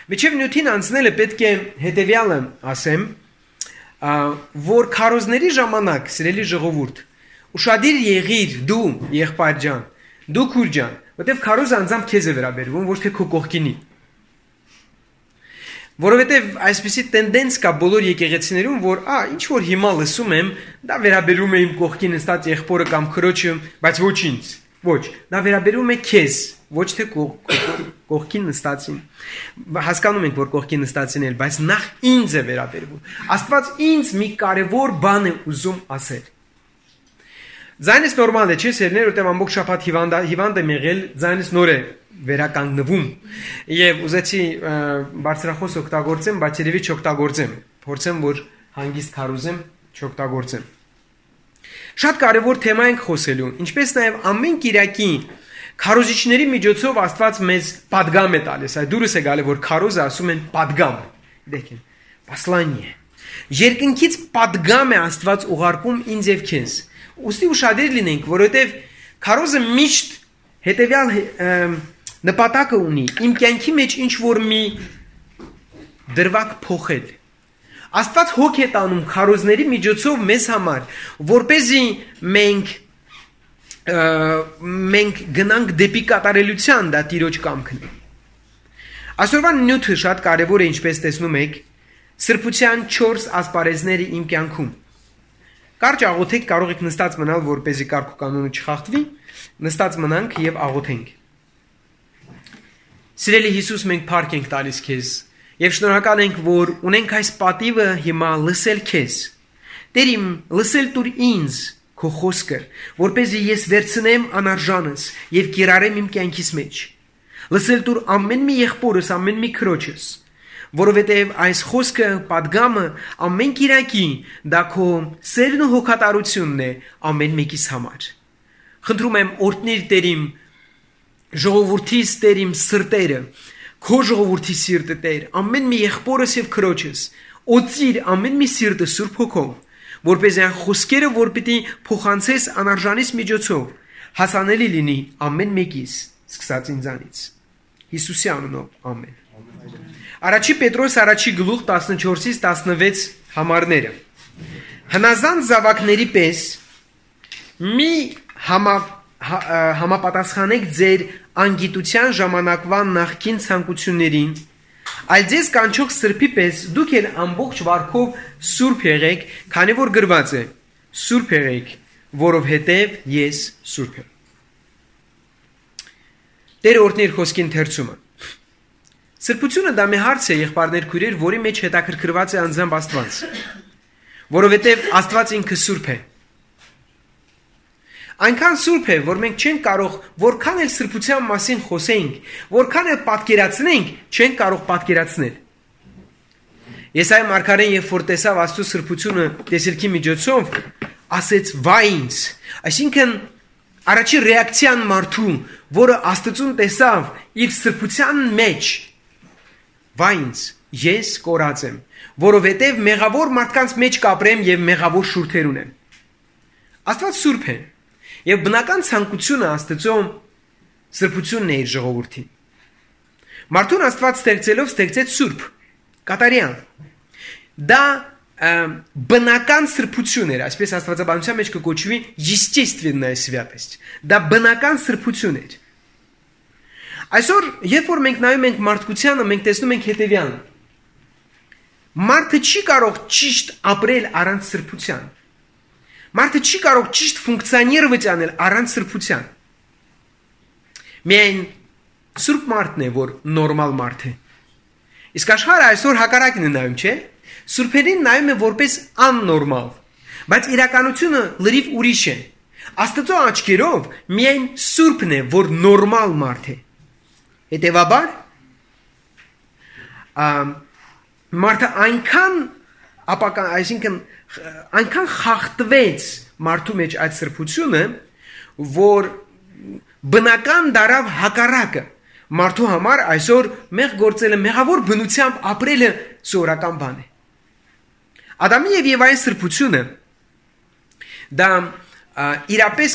Միջև նյութին անցնելը պետք է հետևյալը ասեմ, որ քարոզների ժամանակ, սիրելի ժողովուրդ, ուշադիր եղիր դու, եղբայր ջան, դու քույր ջան, որտեվ քարոզը անձամբ քեզ է վերաբերվում, ոչ թե քո կողքինի։ Որովհետև այսպիսի տենդենս կա բոլոր եկեղեցիներում, որ ինչ որ հիմա լսում եմ, դա վերաբերում է իմ կողքին նստած եղբորը կամ քրոջը, բայց ոչ ինձ։ Ոչ, դա վերաբերում է քեզ, ոչ թե կողքին նստածին։ Հասկանում ենք, որ կողքին նստածին էլ, բայց նախ ինձ է վերաբերվում։ Աստված ինձ մի կարևոր բան է ուզում ասել։ Ձայնս նորմալ է, չէ՞, սերներ, որտեղ ամբողջ շաբաթ հիվանդ եմ եղել, ձայնս նոր է վերականգնվում։ Եվ ուզեցի բարձրախոս օգտագործեմ, բայց երևի չօգտագործեմ։ Փորձեմ, որ հանգիստ քարոզեմ, չօգտագործեմ։ Շատ կարևոր թեմա ենք խոսելու, ինչպես նաև ամեն կիրակի քարոզիչների միջոցով Աստված մեզ պատգամ է տալիս։ Այդ դուրս է գալի, որ քարոզը ասում են պատգամ։ Դեկին, պասլանիե։ Երկնքից պատգամ է Աստված ուղարկում ինձ եւ քեզ։ Ուստի ուշադիր լինենք, որովհետև քարոզը միշտ հետևյալ նպատակը ունի, իմ կյանքի մեջ ինչ որ մի դրվագ փոխել։ Աստված հոգ է տանում քարոզների միջոցով մեզ համար, որպեսզի մենք գնանք դեպի կատարելության, դա Տիրոջ կամքն է։ Այսօրվա նյութը շատ կարևոր է, ինչպես տեսնում եք, սրբության 4 ասպարեզները իմ կյանքում։ Կարճ աղոթեք, կարող եք նստած մնալ, որպեսզի կարգ ու կանոնը չխախտվի, նստած մնանք եւ աղոթենք։ Սիրելի Հիսուս, մենք փառք ենք տալիս քեզ եւ շնորհակալ ենք, որ ունենք այս պատիվը հիմա լսել քեզ։ Տեր իմ, լսել տուր ինձ քո խոսքը, որպեսզի ես վերցնեմ անարժանս եւ կիրառեմ իմ կյանքիս մեջ։ Լսել տուր ամեն մի եղբորս, ամեն մի քրոջս, որովհետև այս խոսքը պատգամը ամեն կիրակի դա քո սերն ու հոգատարությունն է ամեն մեկիս համար։ Խնդրում եմ օրհնիր Տեր իմ ժողովրդիս, Տեր իմ սրտերը, քո ժողովրդի սիրտը Տեր, ամեն մի եղբորս եւ քրոջս, օծիր ամեն մի սիրտը Սուրբ Հոգով, որպեսզի այն խոսքերը, որ պիտի փոխանցես անարժանիս միջոցով, հասանելի լինի ամեն մեկիս, սկսած ինձանից։ Հիսուսի անունով ամեն։ Առաջի Պետրոս առաջի գլուխ 14-ից 16 համարները։ Հնազանդ զավակների պես մի համապատասխանեք ձեր անգիտության ժամանակվա նախկին ցանկություններին, այլ ձեզ կանչող սրբի պես դուք էլ ամբողջ վարքով սուրբ եղեք, քանի որ գրված է. սուրբ եղեք, որովհետև ես սուրբ եմ։ Տեր օրհնիր խոսքի ընթերցումը։ Սրբությունը դա մի հարց է, եղբայրներ քույրեր, որի մեջ հետաքրքրված է անձամբ Աստված, որովհետև Աստված ինքը սուրբ է։ Այնքան սուրբ է, որ մենք չենք կարող, որքան էլ սրբության մասին խոսենք, որքան էլ պատկերացնենք, չենք կարող պատկերացնել։ Եսայի մարգարեն, երբ որ տեսավ Աստծո սրբությունը տեսիլքի միջոցով, ասեց վայ ինձ, այսինքն առաջի ռեակցիան մարդու, որը Աստծուն տեսավ իր սրբության մեջ, վայ ինձ, ես կորած եմ, որովհետև մեղավոր մարդկանց մեջ կապրեմ եւ մեղավոր շուրթեր ունեմ։ Աստված սուրբ է, եւ բնական ցանկությունը Աստծո սրբությունն է իր ժողովրդին։ Մարդուն Աստված ստեղծեց սուրբ, կատարյալ։ Դա բնական սրբություն էր, այսպես Աստվածաբանության մեջ կոչվի естественная святость։ Դա բնական սրբություն էր։ Այսօր, երբ որ մենք նայում ենք մարդկությանը, մենք տեսնում ենք հետևյալը. մարդը չի կարող ճիշտ ապրել առանց սրբության։ Մարդը չի կարող ճիշտ ֆունկցիոներված անել առանց սրբության։ Միայն սուրբ մարդն է, որ նորմալ մարդ է։ Իսկ աշխարհը այսօր հակառակն է նայում, չէ՞։ Սուրբերին նայում է որպես աննորմալ, բայց իրականությունը լրիվ ուրիշ է։ Աստծո աչքերով միայն սուրբն է, որ նորմալ մարդ է։ Հետևաբար մարդը այնքան խախտվեց մարդու մեջ այդ սրբությունը, որ բնական դարավ հակառակը մարդու համար այսօր մեղ գործելը, մեղավոր բնությամբ ապրելը սովորական բան է։ Ադամի եւ Եվայի սրբությունը դա իրապես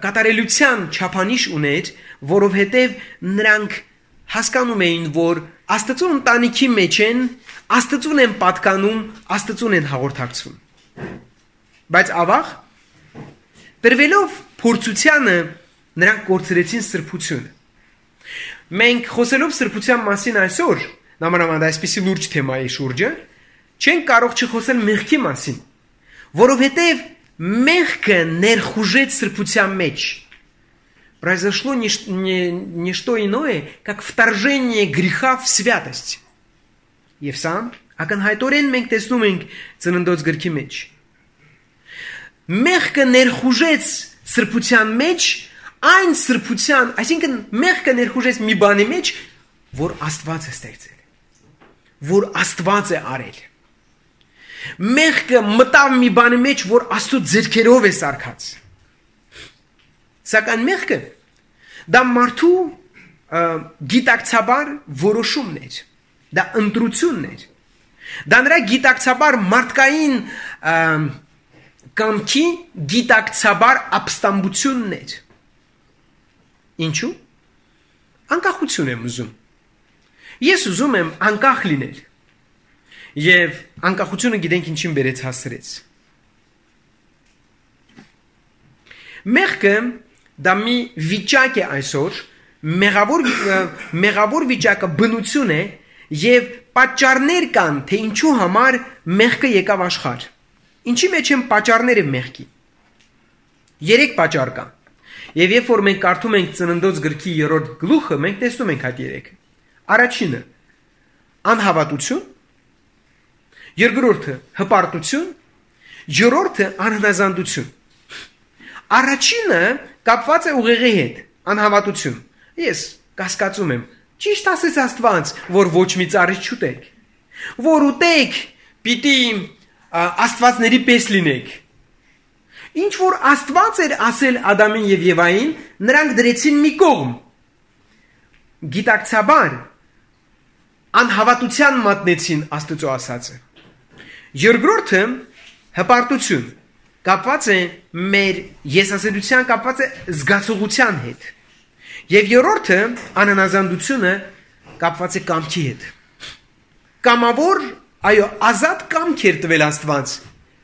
կատարելության չափանիշ ուներ, որովհետև նրանք հասկանում էին, որ Աստծո ընտանիքի մեջ են, Աստծուն են պատկանում, Աստծուն են հաղորդակցվում։ Բայց ավաղ տրվելով փորձությանը նրանք կորցրեցին սրբությունը։ Մենք խոսելով սրբության մասին այսօր, նմանավանդ այսպիսի լուրջ թեմայի շուրջը, չենք կարող չխոսել մեղքի մասին, որովհետև մեղքը ներխուժեց սրբության մեջ։ Произошло не что иное, как вторжение греха в святость. Եվ սա ակնհայտորեն մենք տեսնում ենք Ծննդոց գրքի մեջ։ Մեղքը ներխուժեց սրբության մեջ, այն սրբության, այսինքն մեղքը ներխուժեց մի բանի մեջ, որ Աստված է ստեղծել, որ Աստված է արել։ Մեղքը մտավ մի բանի մեջ, որ Աստծո ձեռքերով է սարքած։ Սակայն մեղքը դա մարդու գիտակցաբար որոշումն էր, դա ընտրությունն էր, դա նրա գիտակցաբար մարդկային կամքի գիտակցաբար ապստամբությունն էր։ Ինչու՞։ Անկախություն եմ ուզում։ Ես ուզում եմ անկախ լինել։ Եվ անկախությունը գիտենք ինչին բերեց հասցրեց։ Մեղքը դա մի վիճակ է այսօր, մեղավոր վիճակը բնություն է եւ պատճառներ կան, թե ինչու համար մեղքը եկավ աշխարհ։ Ինչի մեջ են պատճառները մեղքի։ 3 պատճառ կան։ Եվ երբ որ մենք կարդում ենք Ծննդոց գրքի 3-րդ գլուխը, մենք տեսնում ենք այդ 3-ը։ Առաջինը անհավատություն, երկրորդը հպարտություն, երրորդը անհնազանդություն։ Առաջինը կապված է ուղեղի հետ, անհավատություն։ Ես կասկածում եմ, ճիշտ ասես Աստված, որ ոչ մի ծառից չուտեք, որ ուտեք, պիտի աստվածների պես լինեք։ Ինչ որ Աստված էր ասել Ադամին եւ Եվային, նրանք դրեցին մի կողմ։ Գիտակցաբար անհավատության մատնեցին Աստծո ասածը։ Երկրորդը հպարտություն, կապված է մեր եսասերության, կապված է զգացողության հետ։ Եվ երրորդը անհնազանդությունը կապված է կամքի հետ։ Կամավոր, այո, ազատ կամք էր տվել Աստված,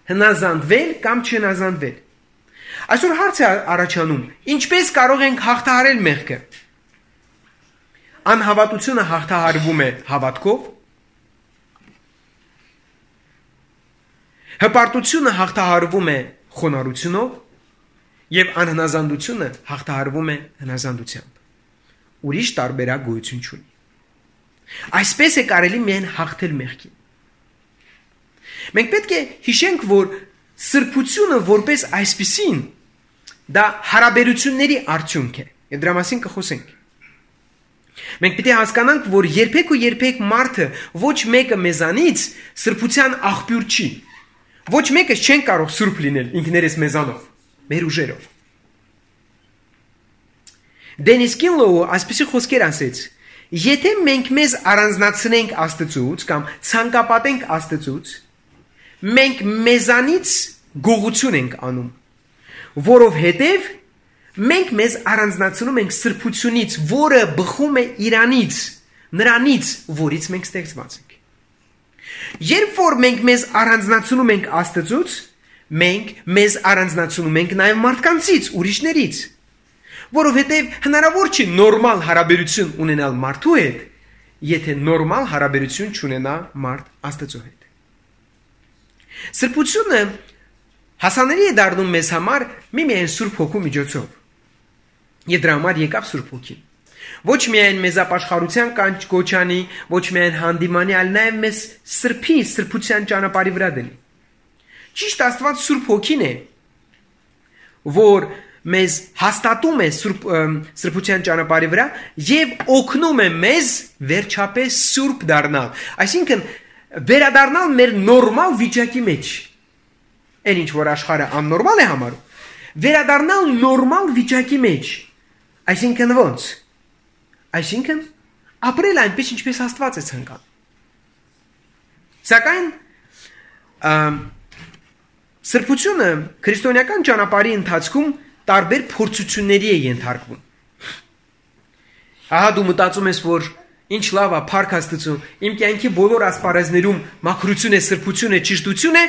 հնազանդվել կամ չհնազանդվել։ Այսօր հարց է առաջանում, ինչպես կարող ենք հաղթահարել մեղքը։ Անհավատությունը հաղթահարվում է հավատքով, հպարտությունը հաղթահարվում է խոնարհությունով եւ անհնազանդությունը հաղթահարվում է հնազանդությամբ։ Ուրիշ տարբերակ գոյություն չունի։ Այսպես է կարելի միայն հաղթել մեղքին։ Մենք պետք է հիշենք, որ սրբությունը որպես այսպիսին դա հարաբերությունների արդյունք է։ Եվ դրա մասին կխոսենք։ Մենք պետք է հասկանանք, որ երբեք ու երբեք մարդը ոչ մեկը մեզանից սրբության աղբյուր չի։ Ոչ մեկը չեն կարող սուրբ լինել ինքներս մեզանով, մեր ուժերով։ Դենիս Կինլոուը այսպիսի խոսքեր ասեց. եթե մենք մեզ առանձնացնենք Աստծուց կամ ցանկապատենք Աստծուց, մենք մեզանից գողություն ենք անում, որովհետև մենք մեզ առանձնացնում ենք սրբությունից, որը բխում է Իրանից, նրանից, որից մենք ստեղծված ենք։ Երբ որ մենք մեզ առանձնացնում ենք Աստծուց, մենք մեզ առանձնացնում ենք նաև մարդկանցից, ուրիշներից, որովհետև հնարավոր չի նորմալ հարաբերություն ունենալ մարդու հետ, եթե նորմալ հարաբերություն չունենա մարդ Աստծո հետ։ Սրբությունը հասանելի է դառնում մեզ համար միմիայն Սուրբ Հոգու միջոցով։ Եվ դրա համար եկավ Սուրբ Հոգին։ Ոչ միայն մեզ ապաշխարության կոչանի, ոչ միայն հանդիմանի, այլ նաև մեզ սրբի, սրբության ճանապարհի վրա դնի։ Ճիշտ Աստված Սուրբ Հոգին է, որ մեզ հաստատում է սրբության ճանապարհի վրա եւ օգնում է մեզ վերջապես սուրբ դառնալ։ Այսինքն վերադառնալ մեր նորմալ վիճակի մեջ։ Այն ինչ որ աշխարհը աննորմալ է համարում, վերադառնալ նորմալ վիճակի մեջ։ Այսինքն ո՞նց։ Այսինքն ապրել այնպես ինչպես Աստված է ցանկանում։ Սակայն սրբությունը քրիստոնեական ճանապարհի ընթացքում տարբեր փորձությունների է ենթարկվում։ Ահա դու մտածում ես, որ ինչ լավ է, փառք Աստծո, իմ կյանքի բոլոր ասպարեզներում մաքրություն է, սրբություն է, ճշտություն է,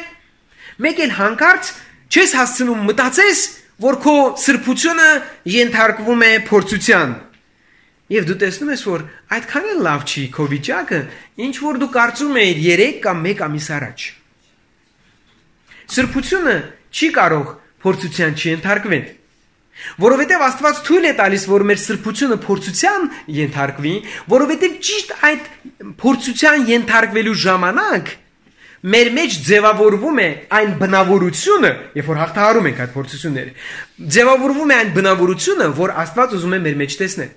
մեկ էլ հանկարծ չես հասցնում մտածես, որ քո սրբությունը ենթարկվում է փորձության։ Եվ դու տեսնում ես, որ այդքան էլ լավ չի քո վիճակը, ինչ որ դու կարծում ես 3 կամ 1 ամիս առաջ։ Սրբությունը չի կարող փորձության չենթարկվել, որովհետև Աստված թույլ է տալիս, որ մեր սրբությունը փորձության ենթարկվի, որովհետև ճիշտ այդ փորձության ենթարկվելու ժամանակ մեր մեջ ձևավորվում է այն բնավորությունը, երբ որ հաղթահարում ենք այդ փորձությունները, ձևավորվում է այն բնավորությունը, որ Աստված ուզում է մեր մեջ տեսնել։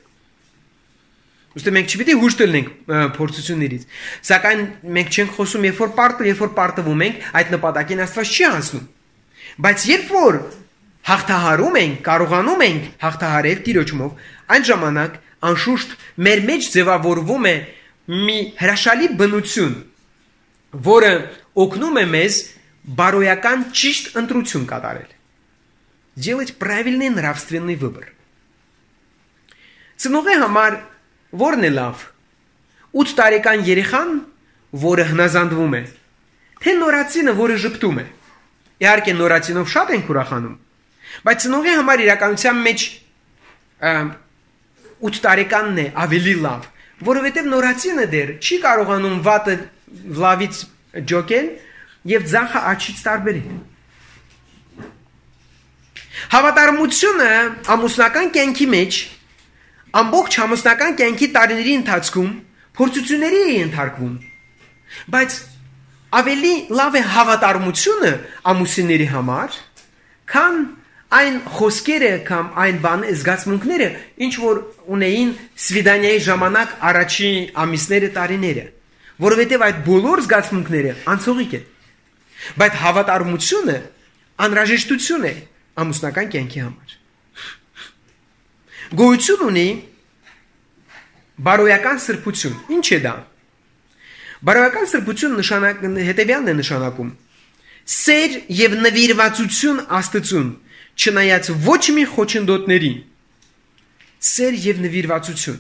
Ուստի մենք չպիտի հույս տալենք փորձություններից, սակայն մենք չենք խոսում, երբ որ պարտվում ենք, այդ նպատակին Աստված չի հասնում։ Բայց երբ որ հաղթահարում ենք, կարողանում ենք հաղթահարել Տիրոջով, այն ժամանակ անշուշտ մեր մեջ ձևավորվում է մի հրաշալի բնություն, որը օգնում է մեզ բարոյական ճիշտ ընտրություն կատարել։ Делать правильный нравственный выбор։ Ծնողի համար որն է լավ։ 8 տարեկան երեխան, որը հնազանդվում է, թե նորածինը, որը ժպտում է։ Իհարկե նորածինով շատ ենք ուրախանում, բայց ծնողի համար իրականության մեջ 8 տարեկանն է ավելի լավ, որովհետև նորածինը դեռ չի կարողանում վատը լավից ջոկել եւ ձախը աչից տարբերել։ Հավատարմությունը ամուսնական կյանքի մեջ ամբողջ ամուսնական կյանքի տարիների ընթացքում փորձությունների է ենթարկվում, բայց ավելի լավ է հավատարմությունը ամուսինների համար, քան այն խոսքերը կամ այն զգացմունքները, ինչ որ ունեին սվիդանիայի ժամանակ առաջի ամիսները տարիները, որովհետև այդ բոլոր զգացմունքները անցողիկ են, բայց հավատարմությունը անհրաժեշտություն է ամուսնական կյանքի համար։ Գոյություն ունի բարոյական սրբություն։ Ինչ է դա։ Բարոյական սրբություն հետևյալն է նշանակում. սեր եւ նվիրվածություն Աստծուն, չնայած ոչ մի խոչընդոտների։ Սեր եւ նվիրվածություն,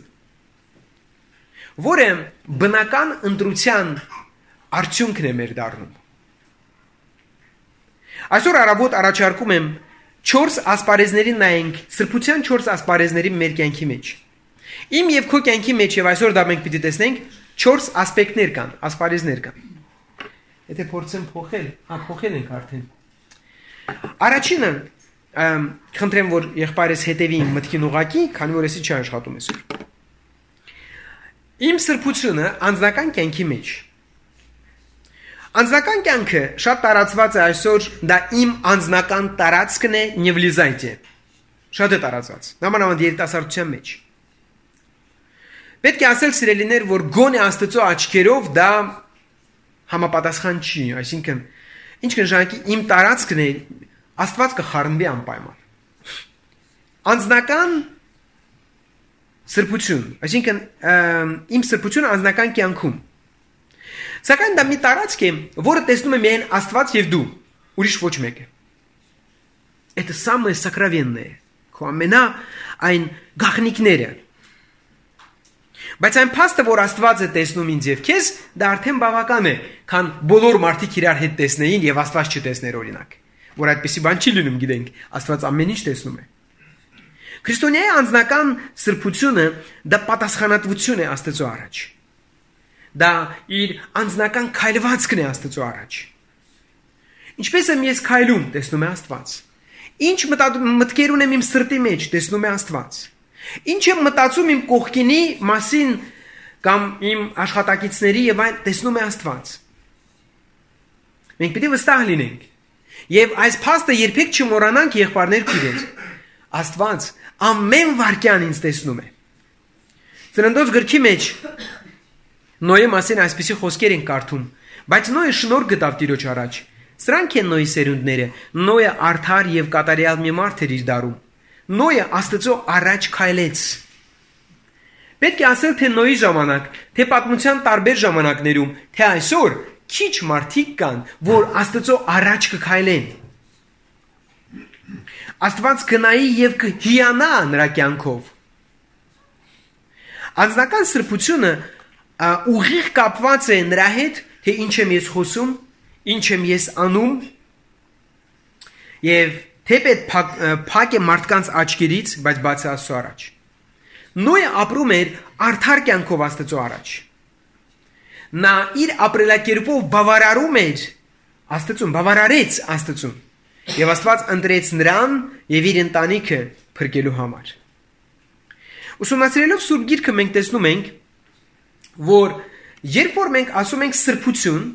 որը բնական ընտրության արդյունքն է մեր դառնում։ Այսօր առավոտ առաջարկում եմ 4 ասպարեզների նայենք, սրբության 4 ասպարեզների մեր կյանքի մեջ։ Իմ եւ քո կյանքի մեջ եւ այսօր դա մենք պիտի տեսնենք 4 ասպեկտներ կան, ասպարեզներ կան։ Եթե փորձեմ փոխել, փոխել ենք արդեն։ Առաջինը, խնդրեմ որ եղբայրս հետևի իմ մտքին ուղակի, քանի որ էսի չի աշխատում այսօր։ Իմ սրբությունը անձնական կյանքի մեջ։ Անձնական կյանքը շատ տարածված է այսօր, դա իմ անձնական տարածքն է, նևլիզայտե։ Շատ է տարածված, նամանավանդ երիտասարդության մեջ։ Պետք է ասել սիրելիներ, որ գոնե Աստծո աչքերով դա համապատասխան չի, այսինքն ինչ կնշանակի իմ տարածքն է, Աստված կխառնվի անպայման։ Անձնական սրբություն, այսինքն իմ սրբությունը անձնական կյանքում։ Սակայն դա մի տարածք է, որը տեսնում է միայն Աստված եւ դու, ուրիշ ոչ մեկը։ Это самое сокровенное, քո ամենա այն գաղտնիքները։ Բայց այն փաստը, որ Աստված է տեսնում ինձ եւ քեզ, դա արդեն բավական է, քան բոլոր մարդիկ իրար հետ տեսնեին եւ Աստված չտեսներ օրինակ, որ այդպեսի բան չի լինում, գիտենք, Աստված ամեն ինչ տեսնում է։ Քրիստոնյայի անձնական սրբությունը դա պատասխանատվություն է Աստծո առաջ։ Դա իր անձնական քայլվածքն է Աստծո առաջ։ Ինչպես եմ ես քայլում, տեսնում է Աստված։ Ինչ մտքեր ունեմ իմ սրտի մեջ, տեսնում է Աստված։ Ինչ եմ մտածում իմ կողքինի մասին կամ իմ աշխատակիցների եւ այն տեսնում է Աստված։ Մենք պետք է վստահ լինենք։ Եվ այս փաստը երբեք չմոռանանք, եղբայրներ քույրեր։ Աստված ամեն վարքյան ինձ տեսնում է։ Ծննդոց գրքի մեջ Նոյի մասին այսպիսի խոսքեր են կարդում, բայց Նոյը շնորհ գտավ Տիրոջ առաջ։ Սրանք են Նոյի սերունդները։ Նոյը արդար եւ կատարյալ մի մարդ էր իր դարում։ Նոյը Աստծո առաջ քայլեց։ Պետք է ասել, թե Նոյի ժամանակ, թե պատմության տարբեր ժամանակներում, թե այսօր քիչ մարդիկ կան, որ Աստծո առաջ կքայլեն։ Աստված կնայի եւ կհիանա նրա կյանքով։ Անձնական սրբությունը ուղիղ կապված է նրա հետ, թե ինչ եմ ես խոսում, ինչ եմ ես անում, եւ թեպետ փակ է մարդկանց աչքերից, բայց բաց է Աստծո առաջ։ Նոյը ապրում էր արդար կյանքով Աստծո առաջ։ Նա իր ապրելակերպով բավարարում էր Աստծուն, բավարարեց Աստծուն, եւ Աստված ընտրեց նրան եւ իր ընտանիքը փրկելու համար։ Ուսումնասիրելով Սուրբ Գիրքը մենք տեսնում ենք, որ երբ որ մենք ասում ենք սրբություն,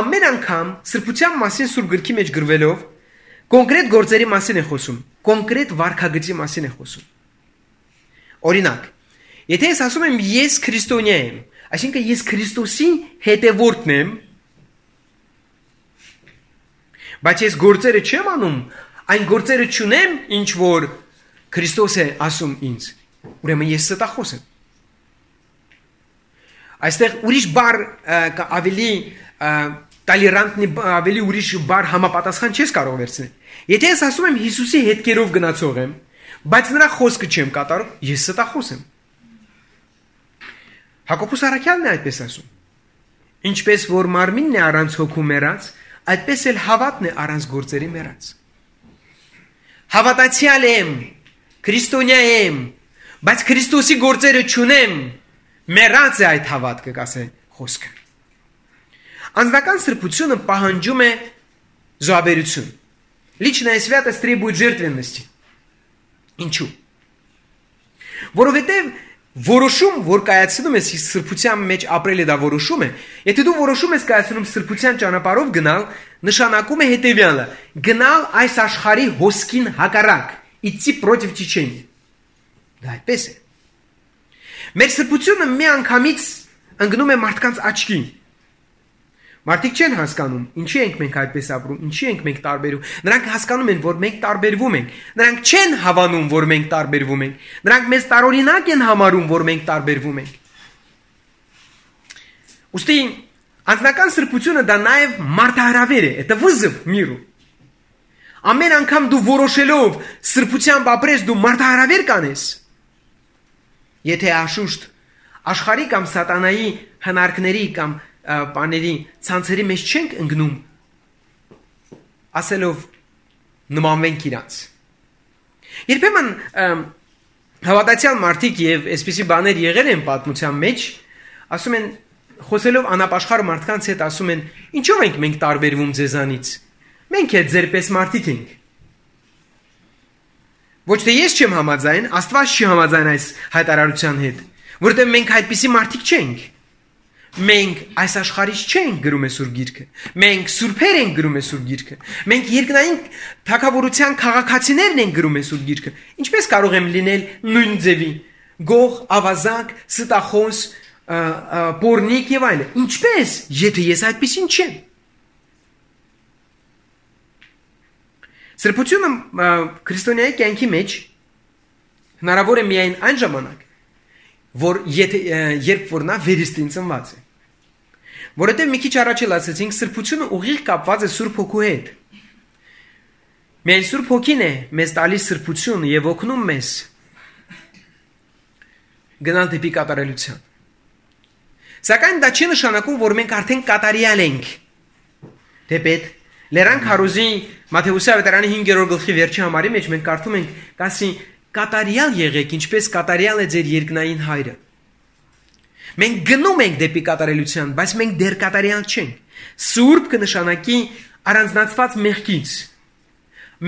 ամեն անգամ սրբության մասին Սուրբ Գրքի մեջ գրվելով կոնկրետ գործերի մասին է խոսում, կոնկրետ վարքագծի մասին է խոսում։ Օրինակ, եթե ես ասում եմ ես քրիստոնյա եմ, այսինքն ես Քրիստոսի հետևորդն եմ, բայց ես գործերը չեմ անում, այն գործերը չունեմ, ինչ որ Քրիստոս է ասում ինձ, ուրեմն ես ստախոս եմ։ Այստեղ ուրիշ բառ ավելի տալերանտնի, ավելի ուրիշ բառ համապատասխան չես կարող վերցնել։ Եթե ես ասում եմ Հիսուսի հետքերով գնացող եմ, բայց նրա խոսքը չեմ կատարում, ես ստախոս եմ։ Հակոբոս առաքյալն է այդպես ասում. ինչպես որ մարմինն է առանց հոգու մեռած, այդպես էլ հավատն է առանց գործերի մեռած։ Հավատացյալ եմ, քրիստոնյա եմ, բայց Քրիստոսի գործերը չունեմ, մեռած է այդ հավատքը, կասե խոսքը։ Անձնական սրբությունը պահանջում է զոհաբերություն։ Личная святость требует жертвенности. Ինչու՞։ Որովհետև որոշում, որ կայացնում ես սրբության մեջ ապրելը դա որոշում է, եթե դու որոշում ես կայացնում սրբության ճանապարհով գնալ, նշանակում է հետևյալը. գնալ այս աշխարհի հոսքին հակառակ, идти против течения։ Դա այդպես է։ Մեր սրբությունը մի անգամից ընկնում է մարդկանց աչքին։ Մարդիկ չեն հասկանում, ինչի ենք մենք այդպես ապրում, ինչի ենք մենք տարբերում։ Նրանք հասկանում են, որ մենք տարբերվում ենք։ Նրանք չեն հավանում, որ մենք տարբերվում ենք։ Նրանք մեզ տարօրինակ են համարում, որ մենք տարբերվում ենք։ Ուստի անձնական սրբությունը դա նաև մարդահրավեր է, это вызов миру։ Ամեն անգամ դու որոշելով սրբությամբ ապրես, դու մարդահրավեր կանես։ Եթե աշուշտ աշխարհի կամ սատանայի հնարքների կամ բաների ցանցերի մեջ չենք ընկնում, ասելով նմանվենք իրանց։ Երբեմն հավատացյալ մարդիկ եւ այսպիսի բաներ եղել են պատմության մեջ, ասում են, խոսելով անապաշխար մարդկանց հետ, ասում են, ինչով ենք մենք տարբերվում ձեզանից։ Մենք էլ ձերպես մարդիկ ենք։ Ոչ թե ես չեմ համաձայն, Աստված չի համաձայն այս հայտարարության հետ, որովհետև մենք այդպիսի մարդիկ չենք։ Մենք այս աշխարհից չենք գրում է Սուրբ Գիրքը։ Մենք սուրբեր ենք գրում է Սուրբ Գիրքը։ Մենք երկնային թագավորության քաղաքացիներն ենք գրում է Սուրբ Գիրքը։ Ինչպես կարող եմ լինել նույն ձևի՝ գող, ավազակ, ստախոս, պորնիկ եւ այլն։ Ինչպես, եթե ես այդպեսին չեմ։ Սրբությունը քրիստոնյայի կյանքի մեջ հնարավոր է միայն այն ժամանակ, երբ որ նա վերստին ծնված է։ Որովհետև մի քիչ առաջ էլ ասացինք, սրբությունը ուղիղ կապված է Սուրբ Հոգու հետ։ Միայն Սուրբ Հոգին է մեզ տալիս սրբություն եւ օգնում մեզ գնալ դեպի կատարելության։ Սակայն դա չի նշանակում, որ մենք արդեն կատարյալ ենք։ Դեպետ Լերան Քարոզի Մատթեոս ավետարանի 5-րդ գլխի վերջի համարի մեջ մենք կարդում ենք, կասի կատարյալ եղեք, ինչպես կատարյալ է ձեր երկնային հայրը։ Մենք գնում ենք դեպի կատարելության, բայց մենք դեռ կատարյալ չենք։ Սուրբ կնշանակի առանձնացված մեղքից,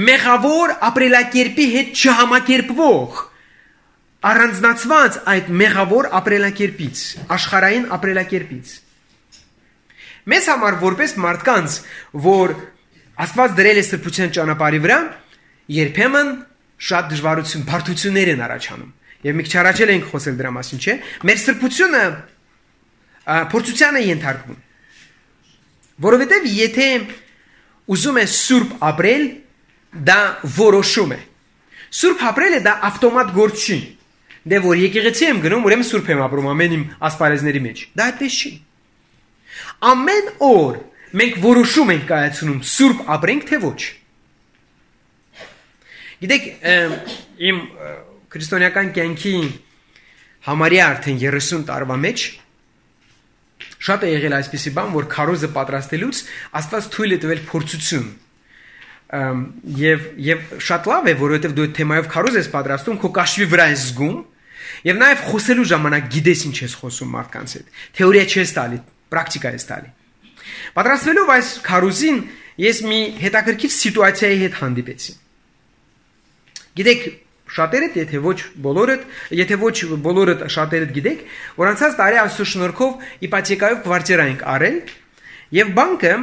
մեղավոր ապրելակերպի հետ չհամակերպվող, առանձնացված այդ մեղավոր ապրելակերպից, աշխարհային ապրելակերպից։ Մեզ համար որպես մարդկանց, որ Աստված դրել է սրբության ճանապարհի վրա, երբեմն շատ դժվարություն, բարդություններ են առաջանում։ Եվ մի քիչ առաջ ենք խոսել դրա մասին, չէ՞։ Մեր սրբությունը փորձության է ենթարկվում։ Որովհետև եթե ուզում ես սուրբ ապրել, դա որոշում է։ Սուրբ ապրելը դա ավտոմատ գործ չի։ Դե որ եկեղեցի եմ գնում, ուրեմն սուրբ եմ ապրում ամեն իմ ասպարեզների մեջ։ Դա այդպես չի։ Ամեն օր մենք որոշում ենք կայացնում սուրբ ապրենք, թե ոչ։ Գիտեք, իմ քրիստոնեական կյանքի համարյա արդեն 30 տարվա մեջ շատ է եղել այսպիսի բան, որ քարոզը պատրաստելուց Աստված թույլ է տվել փորձություն։ Եվ շատ լավ է, որովհետև դու այդ թեմայով քարոզ ես պատրաստում, քո կաշվի վրա ես զգում, եւ նաեւ խոսելու ժամանակ գիտես ինչ ես խոսում մարդկանց հետ։ Թեորիա չես տալի, պրակտիկա ես տալի։ Պատրաստվելով այս քարոզին, ես մի հետաքրքիր սիտուացիայի հետ հանդիպեցի։ Գիտեք, շատերդ, եթե ոչ բոլորդ շատերդ գիտեք, որ անցած տարի Աստծո շնորհքով իպոթեկայով կվարտիրա ենք արել, եւ բանկը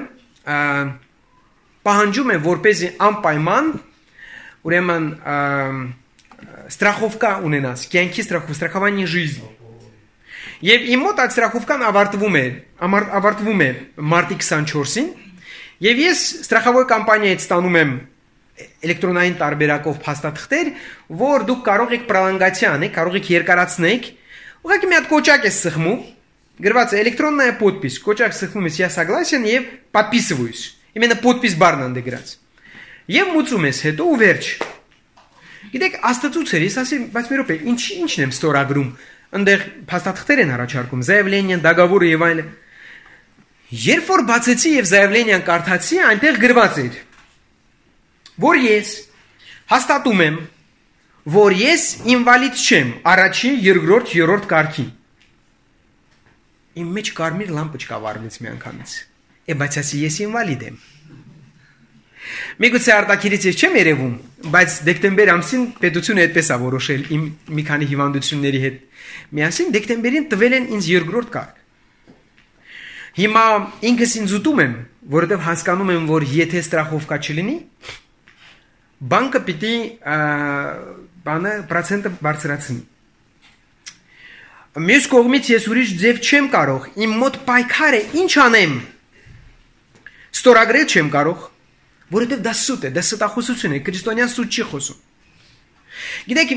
պահանջում է, որպեսզի անպայման ուրեմն страховка ունենաս, կյանքի страхование жизни։ Եվ իմ մոտ այդ страховкան ավարտվում է մարտի 24-ին, եւ ես страховой կամպանիայից ստանում եմ էլեկտրոնային տարբերակով փաստաթղթեր, որ դուք կարող եք պրոլոնգացիա անեք, կարող եք երկարացնեք, ուղղակի մի հատ կոճակ ես սխմում, գրված է էլեկտրոնная подпись, կոճակ սխմում ես, я согласен եւ подписываюсь։ Именно подпись բառն անդե գրած։ Եվ մուծում ես հետո ու վերջ։ Գիտեք, Աստծուցեր, ես ասեմ, բայց մի րոպե, ինչն եմ ստորագրում, այնտեղ փաստաթղթեր են առաջարկում, заявление, договор եւ այլն։ Երբ որ բացեցի եւ заявление-ն կարդացի, այնտեղ գրված էր, որ ես հաստատում եմ, որ ես ինվալիդ չեմ, առաջին, երկրորդ, երրորդ կարգի։ Իմ մեջ կարմիր լամպոչկա վառվեց մի անգամից։ Բայց ասի ես ինվալիդ եմ։ Միգուցե արտաքիրից ես չեմ երևում, բայց դեկտեմբեր ամսին պետությունը այդպես է որոշել իմ մի քանի հիվանդությունների հետ։ Միասին դեկտեմբերին տվել են ինձ երկրորդ կարգ։ Հիմա ինքս ինձ ուտում եմ, որովհետև հասկանում եմ, որ եթե страховка չլինի, բանկը պիտի պրոցենտը բարձրացնի։ Մյուս կողմից ես ուրիշ ձև չեմ կարող, իմ մոտ պայքար է, ինչ անեմ։ Ստորագրել չեմ կարող, որովհետև դա սուտ է, դա ստախոսություն է, քրիստոնյան սուտ չի խոսում։ Գիտեք,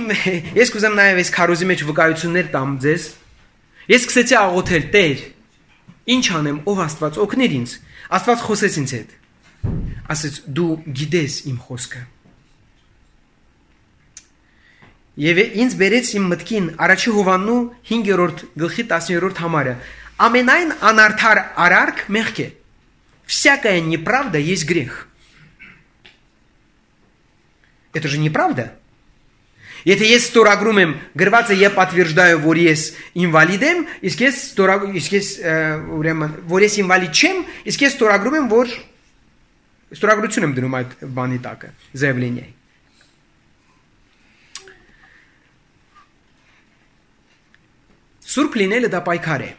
ես կուզեմ նաև այս քարոզի մեջ վկայություններ տամ ձեզ։ Ես սկսեցի աղոթել, Տեր, ինչ անեմ, ով Աստված, օգներ ինձ։ Աստված խոսեց ինձ հետ։ Ասեց, դու գիտես իմ խոսքը։ Եվ ինձ բերեց իմ մտքին առաջի Հովհաննու 5-րդ գլխի 10-րդ համարը։ Ամենայն անարդար արարք մեղք է։ Всякая неправда есть грех. Это же неправда. Եթե ես ստորագրում եմ, գրված է եւ պատվիրժդаю, որ ես ինվալիդ եմ, իսկ ես ուրեմն որ ես ինվալիդ չեմ, իսկ ես ստորագրում եմ, որ ստորագրություն եմ դնում այդ բանի տակը, заявление։ Սուրբ լինելը դա պայքար է։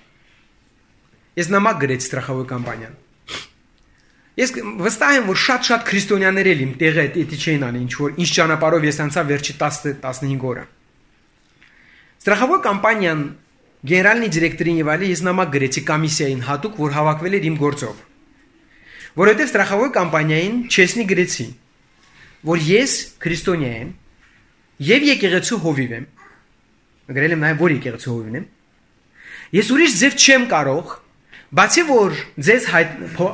Ես նամակ գրեցի страховой կամպանիան։ Ես վստահ եմ, որ շատ քրիստոնյաներ էլ իմ տեղը էդի չէին անի, ինչ ճանապարհով ես անցա վերջի 10-15 օրը։ Страховой կամպանիան գեներալնի դիրեկտորին եւ այլն ես նամակ գրեցի կոմիսիային հատուկ, որ հավաքվել էր իմ գործով։ Որովհետեւ страховой կամպանիային չեսնի գրեցի, որ ես քրիստոնյա եմ եւ եկեղեցու հովիվ եմ։ Գրել եմ նաեւ, որ եկեղեցու հովիվն եմ։ Ես ուրիշ ձև չեմ կարող, բացի որ ձեզ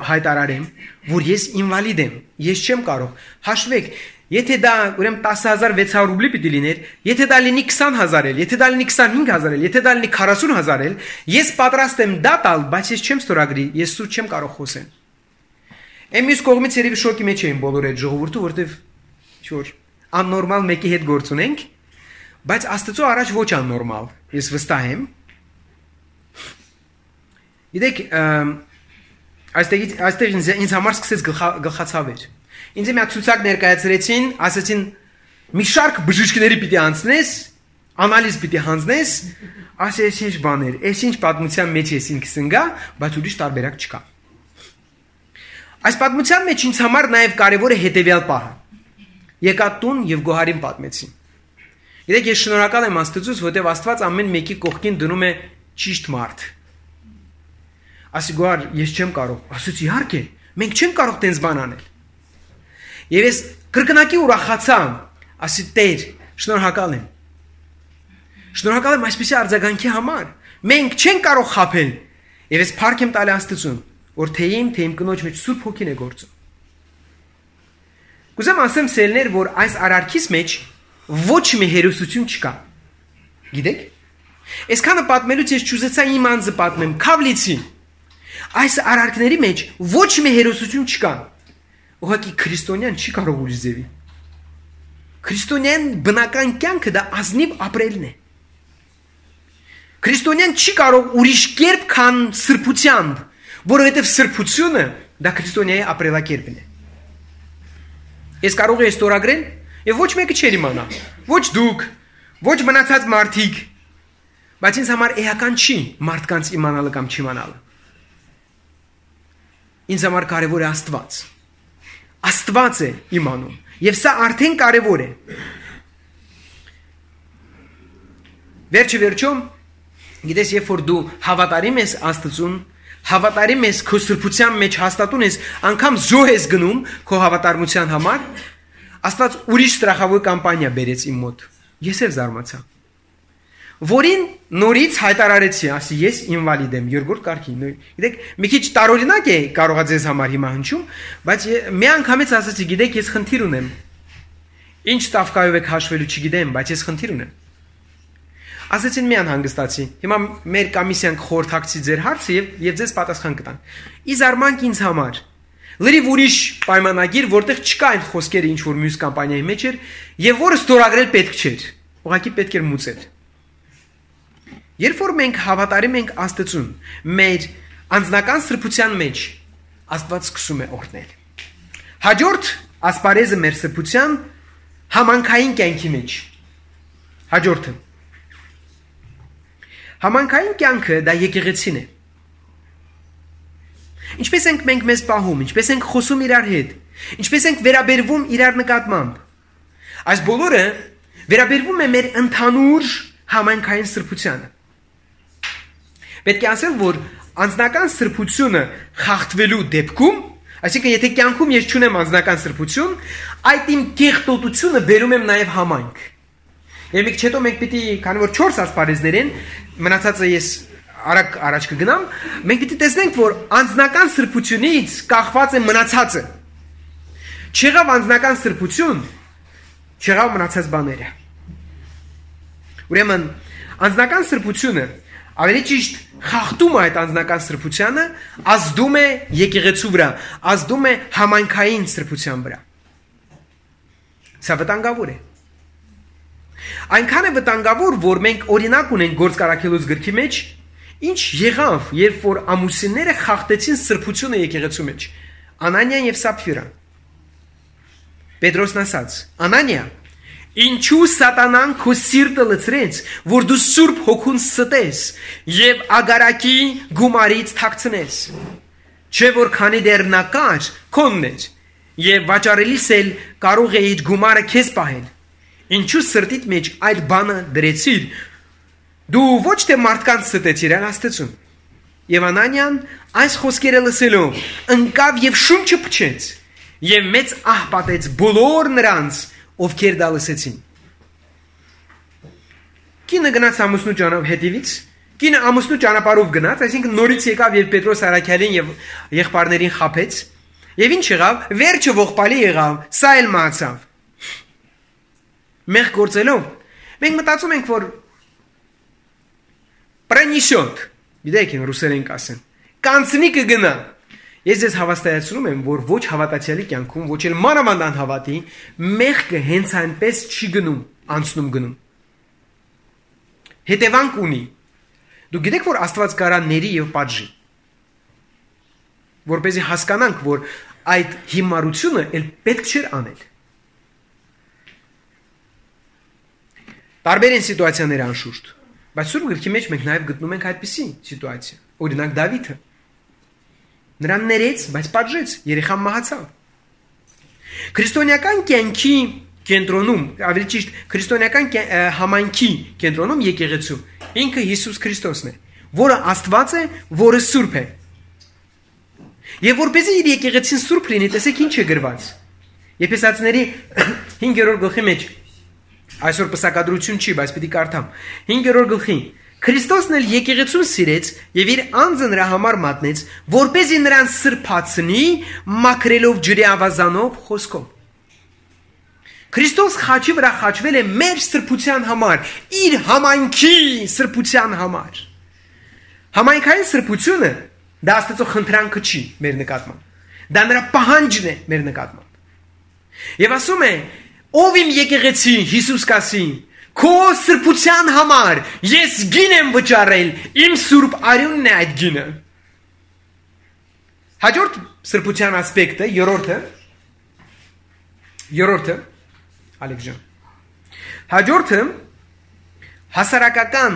հայտարարեմ, որ ես ինվալիդ եմ, ես չեմ կարող։ Հաշվեք, եթե դա ուրեմն 10600 ռուբլի պիտի լիներ, եթե դա լինի 20000 էլ, եթե դա լինի 25000 էլ, եթե դա լինի 40000 էլ, ես պատրաստ եմ դա տալ, բայց ես չեմ ստորագրի, ես սուտ չեմ կարող խոսել։ Εμείς կողմից երևի շոկի մեջ էին բոլոր այդ ժողովուրդը, որտեվ ինչ-որ աննորմալ մեկի հետ գործ ունենք, բայց Աստծո առաջ ոչ աննորմալ, ես վստահ եմ։ Գիտեք, այստեղ ինձ համար սկսեց գլխացավեր։ Ինձ մի հատ ցուցակ ներկայացրեցին, ասացին մի շարք բժիշկների պիտի անցնես, անալիզ պիտի հանձնես, ասես ինչ բաներ, այս ինչ պատմության մեջ ես ինքս ընկա, բայց ուրիշ տարբերակ չկա։ Այս պատմության մեջ ինձ համար նաև կարևոր է հետևյալ պահը։ Եկա տուն եւ գոհարին պատմեցին։ Գիտեք, ես շնորհակալ եմ Աստծուց, որովհետեւ Աստված ամեն մեկի կողքին դնում է ճիշտ մարդ։ Ասի գոհար, ես չեմ կարող։ Ասեցի իհարկե, մենք չենք կարող տենց բան անել։ Եվ ես կրկնակի ուրախացա, ասի Տեր, շնորհակալ եմ։ Շնորհակալ եմ այսպիսի արձագանքի համար։ Մենք չենք կարող խաբել։ Եվ ես փառք եմ տալի Աստծուն, որ թե իմ կնոջ մեջ Սուրբ Հոգին է գործում։ Կուզեմ ասեմ սելներ, որ այս արարքից մեջ ոչ մի հերոսություն չկա։ Գիտեք։ Այսքանը պատմելուց ես ճուզեցա իմ անձը պատմեմ, քավլիցի։ Այս արարքների մեջ ոչ մի հերոսություն չկա։ Ուղղակի քրիստոնյան չի կարող ուրիշ ձևի։ Քրիստոնյան բնական կյանքը դա ազնիվ ապրելն է։ Քրիստոնյան չի կարող ուրիշ կերպ քան սրբությամբ, որովհետև սրբությունը դա քրիստոնյայի ապրելակերպն է։ Ես կարող եմ ստորագրել, եւ ոչ մեկը չեր իմանա։ Ոչ դուք, ոչ մնացած մարդիկ, բայց ինձ համար էական չի մարդկանց իմանալը կամ չիմանալը։ Ինձ համար կարևոր է Աստված։ Աստված է իմանում, եւ սա արդեն կարևոր է։ Վերջը, գիտես, երբ որ դու հավատարիմ ես Աստծուն, հավատարիմ ես քո սրբության մեջ հաստատուն ես, անգամ զոհ ես գնում քո հավատարմության համար, Աստված ուրիշ ստրախավոր կամպանիա բերեց իմ մոտ։ Ես էլ զարմացա։ Որին նորից հայտարարեցի, ասի ես ինվալիդ եմ, երկրորդ կարգի։ Գիտեք, մի քիչ տարօրինակ է կարողա ձեզ համար հիմա հնչում, բայց մի անգամից ասացի, գիտեք, ես խնդիր ունեմ։ Ինչ տավկայով եք հաշվելու չգիտեմ, բայց ես խնդիր ունեմ։ Ասեցին մի անհանգստացի։ Հիմա մեր կոմիսիան կխորհրդակցի ձեր հարցը եւ ձեզ պատասխան կտան։ Ի զարմանք ինձ համար լրիվ ուրիշ պայմանագիր, որտեղ չկա այն խոսքերը, ինչ որ մյուս կամպանիայի մեջ էր, եւ որը ստորագրել պետք չէր։ Ուղղակի պետք էր մուծել։ Երբ որ մենք հավատարիմ ենք Աստծուն, մեր անձնական սրբության մեջ Աստված սկսում է օրհնել։ Հաջորդ ասպարեզը մեր սրբության համանքային կյանքի մեջ։ Հաջորդը համանքային կյանքը դա եկեղեցին է։ Ինչպես ենք մենք մեզ պահում, ինչպես ենք խոսում իրար հետ, ինչպես ենք վերաբերվում իրար նկատմամբ։ Այս բոլորը վերաբերվում է մեր ընդհանուր համանքային սրբությանը։ Պետք է ասել, որ անձնական սրբությունը խախտվելու դեպքում, այսինքն եթե կյանքում ես չունեմ անձնական սրբություն, այդ իմ կեղտոտությունը բերում եմ նաև համայնք։ Եվ մի քիչ հետո մենք պիտի, քանի որ 4 ասպարեզներ են, մնացածը ես արագ առաջ կգնամ, մենք պիտի տեսնենք, որ անձնական սրբությունից կախված է մնացածը։ Չեղավ անձնական սրբություն, չեղավ մնացած բաները։ Ուրեմն անձնական սրբությունը ավելի ճիշտ խախտում է այդ անձնական սրբությանը, ազդում է եկեղեցու վրա, ազդում է համայնքային սրբության վրա։ Սա վտանգավոր է։ Այնքան է վտանգավոր, որ մենք օրինակ ունենք Գործք Առաքելոց գրքի մեջ, ինչ եղավ, երբ որ ամուսինները խախտեցին սրբությունը եկեղեցու մեջ։ Անանիան եւ Սապֆիրան։ Պետրոսն ասաց. Անանիա, ինչու սատանան քո սիրտը լցրեց, որ դու Սուրբ Հոգուն ստես եւ ագարակի գումարից թաքցնես։ Չէ որ քանի դեռ նա կար, քոնն էր, եւ վաճառելիս էլ կարող էիր գումարը քեզ պահել։ Ինչու սրտիդ մեջ այդ բանը դրեցիր։ Դու ոչ թե մարդկանց ստեցիր, այլ Աստծուն։ Եվ Անանիան այս խոսքերը լսելով ընկավ եւ շունչը փչեց եւ մեծ ահ պատեց բոլոր նրանց, ովքեր դա լսեցին։ Կինը գնաց ամուսնու հետևից, կինը ամուսնու ճանապարհով գնաց, այսինքն նորից եկավ եւ Պետրոս Արաքյալին եւ եղբայրներին խաբեց։ Եվ ինչ եղավ, վերջը ողբալի եղավ, սա էլ մահացավ։ Մեղ գործելով, մենք մտածում ենք, որ պրանիշոտ, գիտեք են ռուսերեն կասեն, կանցնի կգնա։ Ես ձեզ հավաստիացնում եմ, որ ոչ հավատացյալի կյանքում, ոչ էլ մանավանդ անհավատի, մեղքը հենց այնպես չի գնում, անցնում գնում։ Հետևանք ունի։ Դու գիտեք, որ Աստված կարա ների եւ պատժի։ Որպեսզի հասկանանք, որ այդ հիմարությունը էլ պետք չէր անել։ Տարբեր են սիտուացիաները անշուշտ, բայց Սուրբ գրքի մեջ մենք նաև գտնում ենք այդպիսի սիտուացիա։ Օրինակ Դավիթը նրան ներեց, բայց պատժեց, երեխան մահացավ։ Քրիստոնեական կյանքի կենտրոնում, ավելի ճիշտ քրիստոնեական համայնքի կենտրոնում եկեղեցու ինքը Հիսուս Քրիստոսն է, որը Աստված է, որը Սուրբ է։ Եվ որպեսզի իր եկեղեցին Սուրբ լինի, տեսեք ինչ է գրված։ Եփեսացիների 5-րդ գլխի մեջ այսօր պսակադրություն չի, բայց պիտի կարդամ։ 5-րդ գլխի Քրիստոսն էլ եկեղեցուն սիրեց եւ իր անձը նրա համար մատնեց, որպեսզի նրան սրբացնի մաքրելով ջրի ավազանով խոսքով։ Քրիստոս խաչի վրա խաչվել է մեր սրբության համար, իր համայնքի սրբության համար։ Համայնքային սրբությունը դա Աստծո խնդրանքը չի մեր նկատմամբ։ Դա նրա պահանջն է մեր նկատմամբ։ Եվ ասում է, ով իմ եկեղեցին, Հիսուս կասի, քո սրբության համար ես գին եմ վճարել, իմ սուրբ արյունն է այդ գինը։ Հաջորդ սրբության ասպեկտը, երրորդը, Ալեքսան։ Հաջորդը հասարակական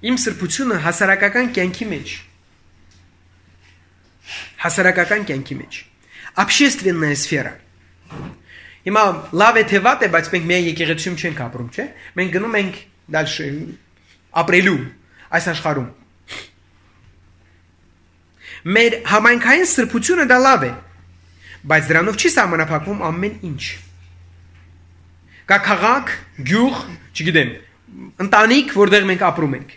իմ սրբությունը հասարակական կյանքի մեջ։ Հասարակական կյանքի մեջ։ Общественная сфера։ Հիմա լավ է թե վատ է, բայց մենք միայն եկեղեցիում չենք ապրում, չէ՞։ Մենք գնում ենք դальше ապրելու այս աշխարհում։ Մեր համայնքային սրբությունը դա լավ է, բայց դրանով չի սահմանափակվում ամեն ինչ։ Կա քաղաք, գյուղ, չգիտեմ, ընտանիք, որտեղ մենք ապրում ենք։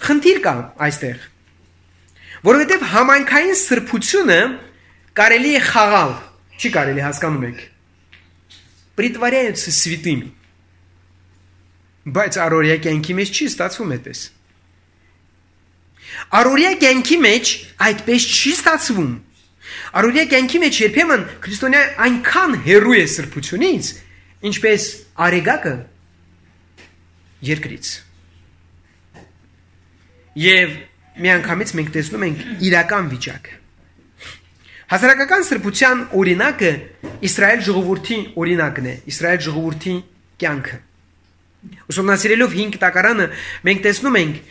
Խնդիր կա այստեղ, որովհետև համայնքային սրբությունը կարելի է խաղալ, չի կարելի, հասկանում եք։ Притворяются святыми։ Բայց առօրյա կյանքի մեջ չի ստացվում այդպես։ Առօրյա կյանքի մեջ այդպես չի ստացվում։ Առօրյա կյանքի մեջ երբեմն քրիստոնյա այնքան հեռու է սրբությունից, ինչպես արեգակը երկրից։ Եվ միանգամից մենք տեսնում ենք իրական վիճակը։ Հասարակական սրբության օրինակը Իսրայել ժողովրդի օրինակն է, Իսրայել ժողովրդի կյանքը։ Ուսումնասիրելով 5 տակարանը մենք տեսնում ենք,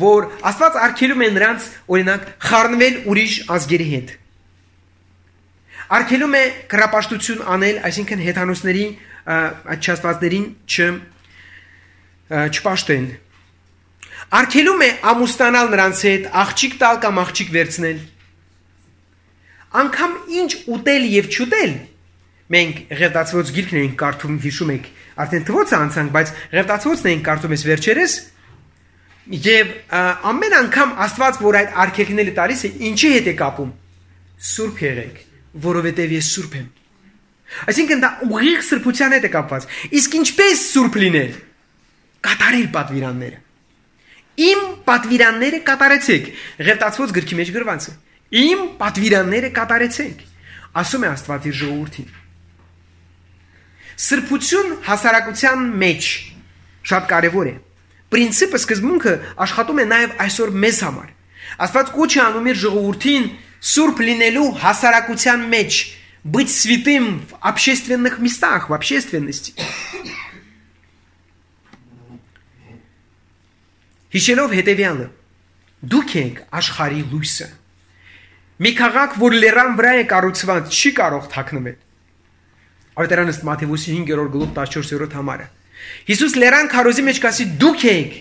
որ Աստված արգելում է նրանց օրինակ խառնվել ուրիշ ազգերի հետ։ Արգելում է կռապաշտություն անել, այսինքն հեթանոսների չաստվածներին չպաշտել։ Արգելում է ամուսնանալ նրանց հետ, աղջիկ տալ կամ աղջիկ վերցնել։ Անկամ ինչ ուտել եւ չուտել, մենք Ղևտացոց գիրքն ենք կարդում, հիշում եք, արդեն թվոցը անցանք, բայց Ղևտացոցն ենք կարդում ես վերջերս, եւ ամեն անգամ Աստված, որ այդ արգելքները տալիս է, ինչի հետ է կապում։ Սուրբ եղեք, որովհետեւ ես սուրբ եմ։ Այսինքն դա ուղիղ սրբության հետ է կապված։ Իսկ ինչպես սուրբ լինել։ Կատարել պատվիրանները։ Իմ պատվիրանները կատարեցեք։ Ղևտացոց գրքի մեջ գրված է։ Իմ պատվիրանները կատարեցեք, ասում է Աստված իր ժողովրդին։ Սրբություն հասարակության մեջ շատ կարևոր է։ Պրինցիպը սկզբունքը աշխատում է նաև այսօր մեզ համար։ Աստված կոչ է անում իր ժողովրդին սուրբ լինելու հասարակության մեջ, быть святым в общественных местах, в общественности։ Հիշելով հետևյալը, դուք եք աշխարհի լույսը։ Մի քաղաք, որ լեռան վրա է կառուցված, չի կարող թաքնվել։ Ավետարանը Մատթեոս 5-րդ գլուխ 14-րդ համարը։ Հիսուս լեռան քարոզի մեջ կասի դուք եք։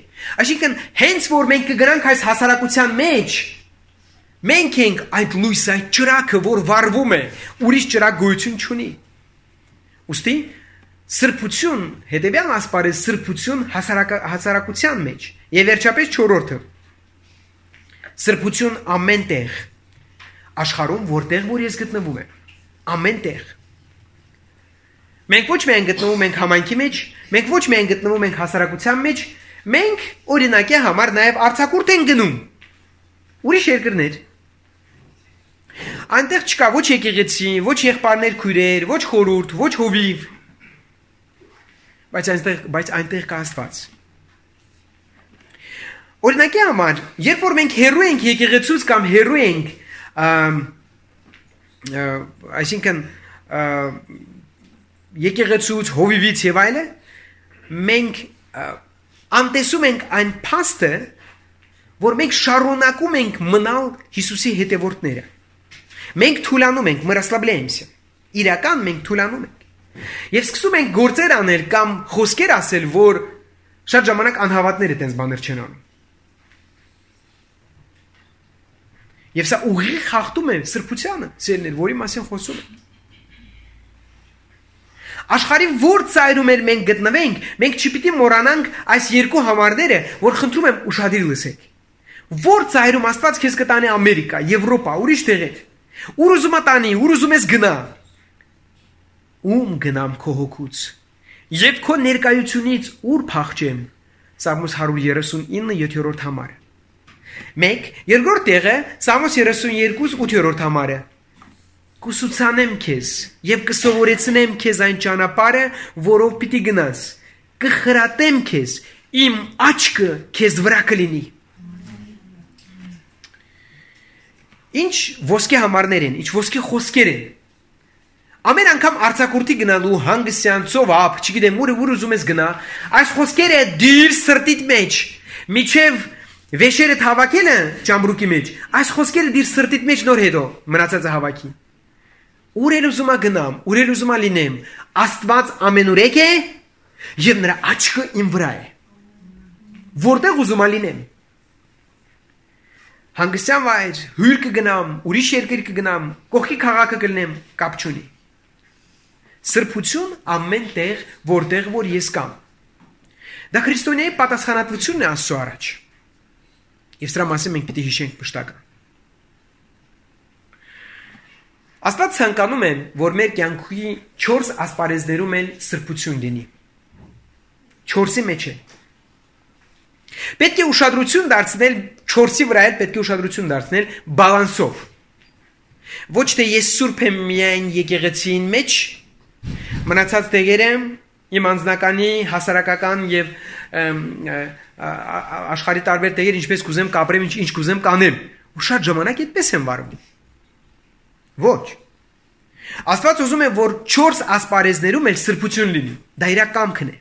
Այսինքն հենց որ մենք կգրանք այս հասարակության մեջ, մենք ենք այդ լույսը, այդ ճրագը, որ վառվում է, ուրիշ ճրագ գոյություն չունի։ Ուստի սրբություն, հետևյալ ասպարեզ սրբություն հասարակության մեջ։ Եվ վերջապես 4-րդը։ Սրբություն ամեն տեղ աշխարհում, որտեղ որ ես գտնվում եմ, ամեն տեղ։ Մենք ոչ միայն գտնվում ենք համայնքի մեջ, մենք ոչ միայն գտնվում ենք հասարակության մեջ, մենք օրինակի համար նաև արձակուրդ ենք գնում։ Ուրիշ երկրներ։ Այնտեղ չկա ոչ եկեղեցի, ոչ եղբայրներ քույրեր, ոչ խորհուրդ, ոչ հովիվ։ Բայց այնտեղ կա Աստված։ Օրինակի համար, երբ որ մենք հեռու ենք եկեղեցուց կամ հեռու ենք այսինքն եկեղեցուց, հովիվից եւ այլը, մենք անտեսում ենք այն փաստը, որ մենք շարունակում ենք մնալ Հիսուսի հետևորդները։ Մենք թուլանում ենք, мы расслабляемся։ Իրական մենք թուլանում ենք։ Եվ սկսում ենք գործեր անել կամ խոսքեր ասել, որ շատ ժամանակ անհավատները տենց բաներ չեն անում։ Եվ սա ուղիղ խախտում է սրբությանը, ծերներ, որի մասին խոսում ենք։ Աշխարհի որ ծայրում էլ մենք գտնվենք, մենք չպիտի մոռանանք այս երկու համարները, որ խնդրում եմ ուշադիր լսեք։ Որ ծայրում Աստված քեզ կտանի Ամերիկա, Եվրոպա, ուրիշ տեղեր։ Ուր ուզում տանի, ուր ուզում ես գնա։ ում գնամ քո հոգուց եւ քո ներկայությունից ուր փախչեմ։ Սաղմոս 139 համար։ 1. Երկրորդ տեղը Սաղմոս 32 8 համարը։ Կուսուցանեմ քեզ եւ կսովորեցնեմ քեզ այն ճանապարհը, որով պիտի գնաս։ Կխրատեմ քեզ, իմ աչքը քեզ վրա կլինի։ Ինչ ոսկե համարներ են, ինչ ոսկե խոսքեր են։ Ամեն անգամ արձակուրդի գնալու հանգստյան ծովափ, չգիտեմ ուր ուզում ես գնա, այս խոսքերը դիր սրտիդ մեջ, միջև վեշերը հավաքելը ճամբրուկի մեջ, այս խոսքերը դիր սրտիդ մեջ նոր հետո մնացածը հավաքի։ Ուր էլ ուզում գնամ, ուր էլ ուզում լինեմ, Աստված ամենուրեք է եւ նրա աչքը իմ վրա է։ Որտեղ ուզում լինեմ։ Հանգստյան վայր, հյուր կգնամ, ուրիշ երկիր կգնամ, կողքի քաղաքը կլինեմ, կապ չունի։ Սրբություն ամեն տեղ, որտեղ որ ես կամ։ Դա քրիստոնեի պատասխանատվությունն է Աստծո առաջ։ Եվ սրա մասին մենք պիտի հիշենք մշտական։ Աստված ցանկանում է, որ մեր կյանքի 4 ասպարեզներում էլ սրբություն լինի։ 4-ի մեջ է։ Պետք է ուշադրություն դարձնել 4-ի վրա էլ պետք է ուշադրություն դարձնել բալանսով։ Ոչ թե ես սուրբ եմ միայն եկեղեցին մեջ, մնացած տեղերը իմ անձնականի, հասարակական եւ աշխարհի տարբեր տեղեր ինչպես կուզեմ կապրեմ, ինչ կուզեմ կանեմ։ Ու շատ ժամանակ այդպես եմ վարվում։ Ոչ։ Աստված ուզում է, որ 4 ասպարեզներում էլ սրբություն լինի։ Դա իր կամքն է։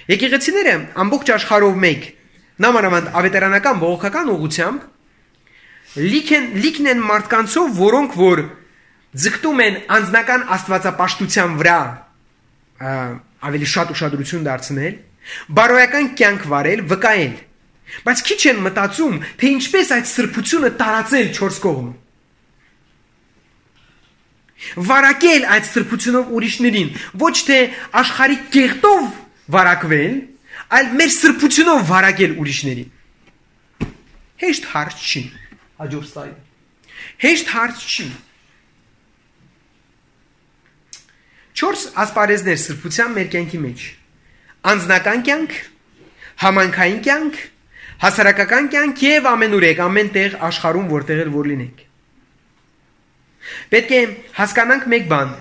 Եկեղեցիները ամբողջ աշխարհով մեկ, նամանավանդ ավետարանական բողոքական ուղղությամբ լիքն են մարդկանցով, որոնք որ ձգտում են անձնական աստվածապաշտության վրա ավելի շատ ուշադրություն դարձնել, բարոյական կյանք վարել, վկայել, բայց քիչ են մտածում, թե ինչպես այդ սրբությունը տարածել 4 կողմ։ Վարակել այդ սրբությունով ուրիշներին, ոչ թե աշխարհի կեղտով վարակվել, այլ մեր սրբությունով վարակել ուրիշներին։ Հեշտ հարց չի։ Հաջորդ սլայդ։ Հեշտ հարց չի։ 4 ասպարեզներ սրբության մեր կյանքի մեջ։ Անձնական կյանք, համայնքային կյանք, հասարակական կյանք եւ ամենուրեք, ամեն տեղ աշխարհում որտեղ էլ որ լինենք։ Պետք է հասկանանք մեկ բան,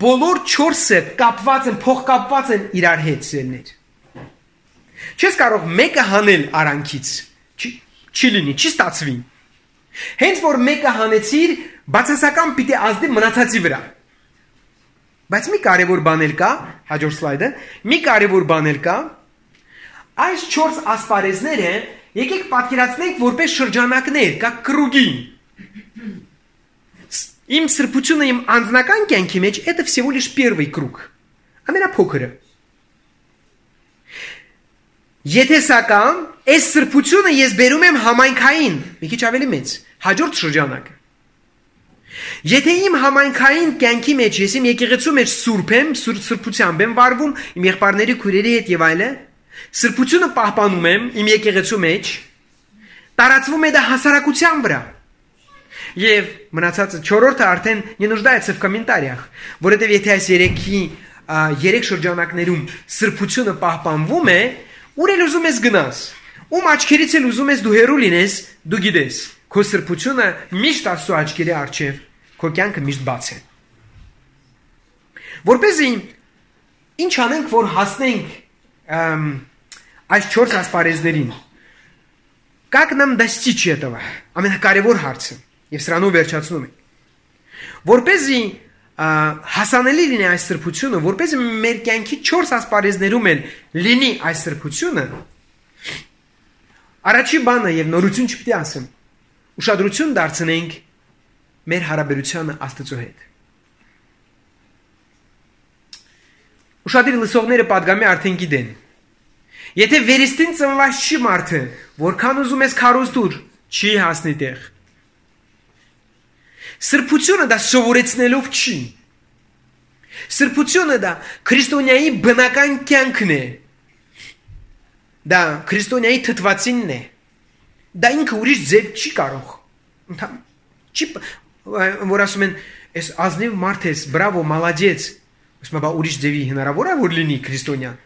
բոլոր 4-ը կապված են, փոխկապված են իրար հետ սերներ։ Չես կարող մեկը հանել արանքից, չի լինի, չի ստացվի։ Հենց որ մեկը հանեցիր, բացասական պիտի ազդի մնացածի վրա։ Բայց մի կարևոր բան էլ կա, հաջորդ սլայդը, մի կարևոր բան էլ կա, այս 4 ասպարեզները եկեք պատկերացնենք որպես շրջանակներ, կա կրուգի։ Իմ սրբությունը իմ անձնական կյանքի մեջ это всего лишь первый круг. Ամենափոքրը։ Եթե սակայն այս սրբությունը ես բերում եմ համայնքային, մի քիչ ավելի մեծ, հաջորդ շրջանակը։ Եթե իմ համայնքային կյանքի մեջ ես իմ եկեղեցու մեջ սուրբ եմ, սրբությամբ եմ վարվում, իմ եղբայրների քույրերի հետ եւ այլն, սրբությունը պահպանում եմ իմ եկեղեցու մեջ, տարածվում է դա հասարակության վրա։ Եվ մնացածը 4-րդը արդեն не нуждается в комментариях, որովհետև եթե այս 3 շրջանակներում սրբությունը պահպանվում է, ուր էլ ուզում ես գնաս, ում աչքերից էլ ուզում ես դու հեռու լինես, դու գիտես, քո սրբությունը միշտ Աստծո աչքերի առջև, քո կյանքը միշտ բաց է։ Որպեսզի ինչ անենք, որ հասնենք այս 4 ասպարեզներին։ Как нам достичь этого? Ամենակարևոր հարցը։ Եվ սրանով վերջացնում ենք։ Որպեսզի հասանելի լինի այս սրբությունը, որպեսզի մեր կյանքի 4 ասպարեզներում էլ լինի այս սրբությունը, առաջի բանը եւ նորություն չպիտի ասեմ, ուշադրություն դարձնենք մեր հարաբերությանը Աստծո հետ։ Ուշադիր լսողները պատգամի արդեն գիտեն։ Եթե վերստին ծնված չի մարդը, որքան ուզում ես քարոզտուր, չի հասնի տեղ։ Սրբությունը դա սովորեցնելով չի։ Սրբությունը դա քրիստոնյայի բնական կյանքն է։ Դա քրիստոնյայի թթվածինն է։ Դա ինքը ուրիշ ձև չի կարող։ Չի որ ասում են Այս ազնիվ մարդ ես, բրավո, մալադեց։ Ոսմա բա ուրիշ ձևի հնարավոր է որ լինի քրիստոնյան։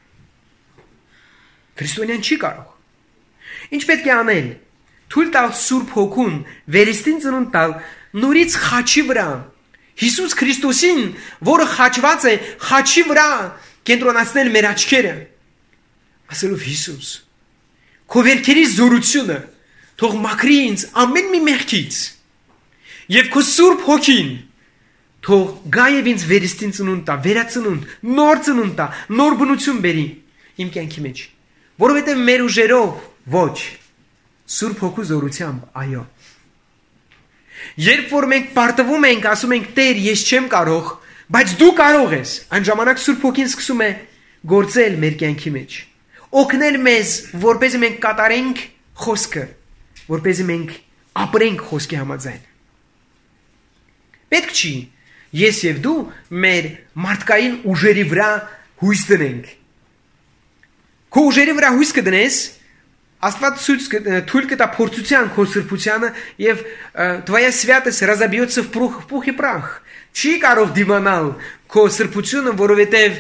Քրիստոնյան չի կարող։ Ինչ պետք է անել։ Թույլ տալ Սուրբ Հոգուն վերստին ծնունդ տալ նորից խաչի վրա։ Հիսուս Քրիստոսին, որը խաչված է, խաչի վրա կենտրոնացնել մեր աչքերը։ Ասելով Հիսուս, քո վերքերի զորությունը թող մաքրի ինձ ամեն մի մեղքից։ Եվ քո Սուրբ Հոգին թող գա եւ ինձ վերստին ծնունդ տա, վերածնունդ, նոր ծնունդ տա, նոր բնություն բերի իմ կյանքի մեջ։ Որովհետեւ մեր ուժերով ոչ, Սուրբ Հոգու զորությամբ, այո։ Երբ որ մենք պարտվում ենք, ասում ենք Տեր, ես չեմ կարող, բայց դու կարող ես, այն ժամանակ Սուրբ Հոգին սկսում է գործել մեր կյանքի մեջ։ Օգնել մեզ, որպեսզի մենք կատարենք խոսքը, որպեսզի մենք ապրենք խոսքի համաձայն։ Պետք չի ես եւ դու մեր մարդկային ուժերի վրա հույս դնենք։ Քո ուժերի վրա հույս կդնես, Աստված թույլ կտա փորձության քո սրբությանը եւ твоя святость разобьется в пух и прах։ Չի կարող դիմանալ քո սրբությունը, որովհետեւ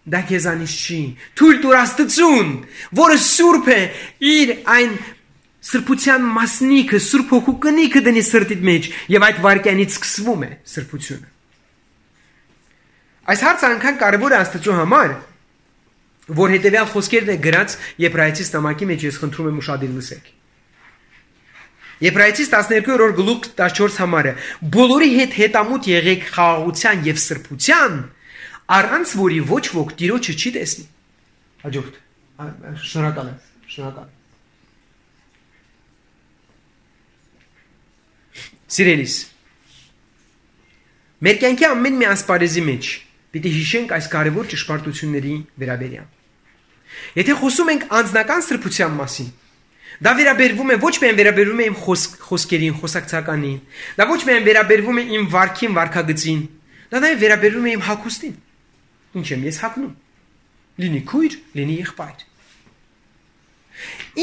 դա քեզանից չի։ Թույլ տուր Աստծուն, որը սուրբ է, իր այն սրբության մասնիկը, Սուրբ Հոգու կնիքը դնի սրտիդ մեջ եւ այդ վարքյանից սկսվում է սրբությունը։ Այս հարցը անգամ կարևոր է Աստծո համար, որ հետևյալ խոսքերն է գրած Եբրայեցիս նամակի մեջ, ես խնդրում եմ ուշադիր լսեք։ Եբրայեցիս 12-րդ գլուխ 14 համարը. բոլորի հետ հետամուտ եղեք խաղաղության եւ սրբության, առանց որի ոչ ոք Տիրոջը չի տեսնի։ Հաջորդ։ Շնորհակալ եմ, շնորհակալ։ Սիրելիս, մեր կյանքի ամեն մի ասպարեզի մեջ պիտի հիշենք այս կարևոր ճշմարտությունների վերաբերյալ։ Եթե խոսում ենք անձնական սրբության մասին, դա վերաբերվում է ոչ միայն վերաբերվում է իմ խոսքերին, խոսակցականին, դա ոչ միայն վերաբերվում է իմ վարքին, վարքագծին, դա նաև վերաբերվում է իմ հագուստին։ Ինչ եմ ես հագնում։ Լինի քույր, լինի եղբայր։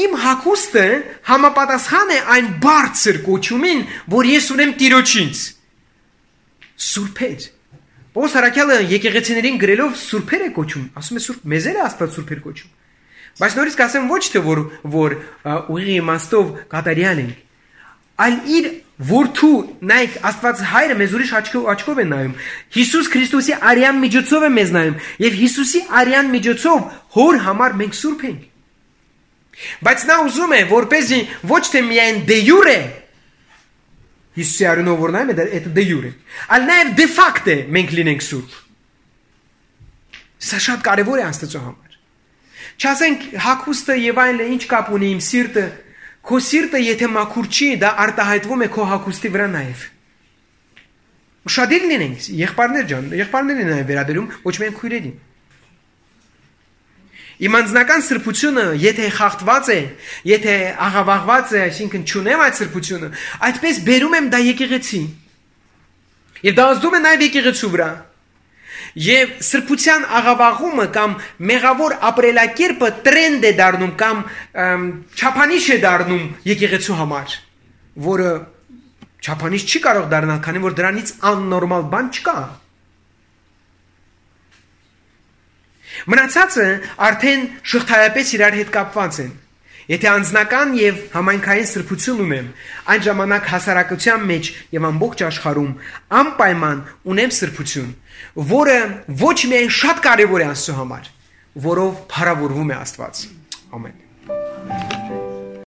Իմ հագուստը համապատասխան է այն բարձր կոչումին, որ ես ունեմ Տիրոջից։ Սուրբեր։ Պողոս առաքյալը եկեղեցիներին գրելով սուրբեր է կոչում, ասում է սուրբ, մեզ էլ է Աստված սուրբեր կոչում։ Բայց նորից կասեմ ոչ թե որ ուղիղ իմաստով կատարյալ ենք, այլ իր որդու, նայեք, Աստված հայրը մեզ ուրիշ աչքով է նայում։ Հիսուս Քրիստոսի արյան միջոցով է մեզ նայում, եւ Հիսուսի արյան միջոցով հոր համար մենք սուրբ ենք։ Բայց նա ուզում է, որպեսզի ոչ թե միայն դե յուրե Հիսուսի արյունով որ նայում է, դա դե յուրե, այլ նաև դե ֆակտը մենք լինենք սուրբ։ Սա շատ կարևոր է Աստծո համար։ Չասենք հագուստը եւ այլը ինչ կապ ունի իմ սիրտը, քո սիրտը եթե մաքուր չի, դա արտահայտվում է քո հագուստի վրա նաև։ Ուշադիր լինենք, եղբայրներ ջան, եղբայրներին նաև վերաբերում, ոչ միայն քույրերին։ Իմ անձնական սրբությունը, եթե խախտված է, եթե աղավաղված է, այսինքն չունեմ այդ սրբությունը, այդպես բերում եմ դա եկեղեցի։ Եվ դա ազդում է նաև եկեղեցու վրա։ Եվ սրբության աղավաղումը կամ մեղավոր ապրելակերպը տրենդ է դառնում կամ չափանիշ է դառնում եկեղեցու համար, որը չափանիշ չի կարող դառնալ, քանի որ դրանից աննորմալ բան չկա։ Մնացածը արդեն շղթայապես իրար հետ կապված են։ Եթե անձնական եւ համայնքային սրբություն ունեմ, այն ժամանակ հասարակության մեջ եւ ամբողջ աշխարհում անպայման ունեմ սրբություն, որը ոչ միայն շատ կարեւոր է Աստծո համար, որով փառավորվում է Աստված։ Ամեն։